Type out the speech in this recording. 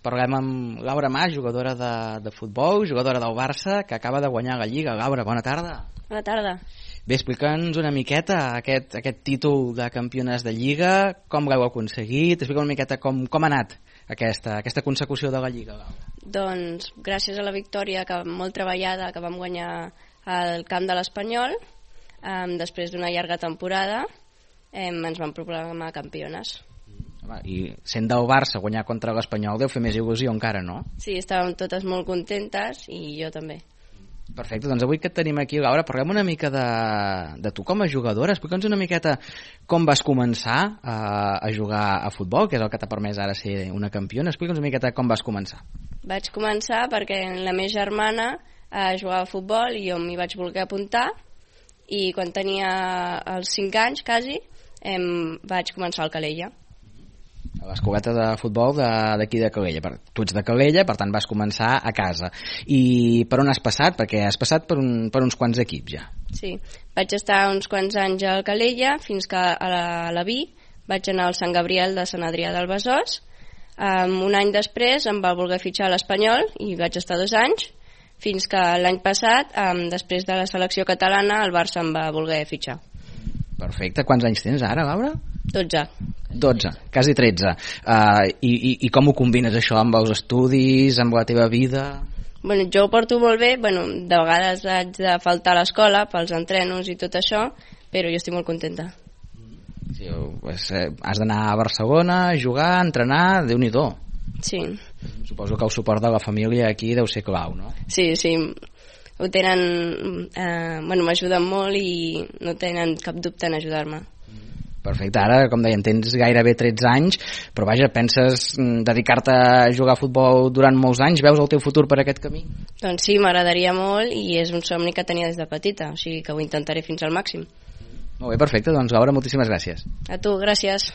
Parlem amb Laura Mas, jugadora de futbol, jugadora del Barça, que acaba de guanyar la Lliga. Laura, bona tarda. Bona tarda. Bé, explica'ns una miqueta aquest títol de campiones de Lliga, com l'heu aconseguit, explica una miqueta com ha anat aquesta consecució de la Lliga. Doncs gràcies a la victòria molt treballada que vam guanyar al camp de l'Espanyol, després d'una llarga temporada ens vam proclamar campiones. I sent del Barça guanyar contra l'Espanyol deu fer més il·lusió encara, no? Sí, estàvem totes molt contentes i jo també. Perfecte, doncs avui que et tenim aquí, Laura, parlem una mica de tu com a jugadora. Explica'ns una miqueta com vas començar a jugar a futbol, que és el que t'ha permès ara ser una campiona. Explica'ns una miqueta com vas començar. Vaig començar perquè la meva germana jugava a futbol i jo m'hi vaig voler apuntar, i quan tenia els 5 anys quasi vaig començar al Calella. A l'escoleta de futbol d'aquí de Calella. Tu ets de Calella, per tant vas començar a casa. I per on has passat? Perquè has passat per uns quants equips ja. Sí, vaig estar uns quants anys al Calella fins que a la Vi vaig anar al Sant Gabriel de Sant Adrià del Besòs. Un any després em va voler fitxar a l'Espanyol i vaig estar 2 anys, fins que l'any passat, després de la selecció catalana, el Barça em va voler fitxar. Perfecte. Quants anys tens ara, Laura? 12, quasi 13. I com ho combines això amb els estudis, amb la teva vida? Bueno, jo ho porto molt bé, de vegades haig de faltar a l'escola pels entrenos i tot això, però jo estic molt contenta. Sí, has d'anar a Barcelona a jugar, a entrenar, Déu-n'hi-do. Sí. Suposo que el suport de la família aquí deu ser clau, no? Sí, ho tenen, m'ajuden molt i no tenen cap dubte en ajudar-me. Perfecte, ara, com deien, tens gairebé 13 anys, però vaja, penses dedicar-te a jugar a futbol durant molts anys? Veus el teu futur per aquest camí? Doncs sí, m'agradaria molt i és un somni que tenia des de petita, o sigui que ho intentaré fins al màxim. Molt bé, perfecte, doncs Laura, moltíssimes gràcies. A tu, gràcies.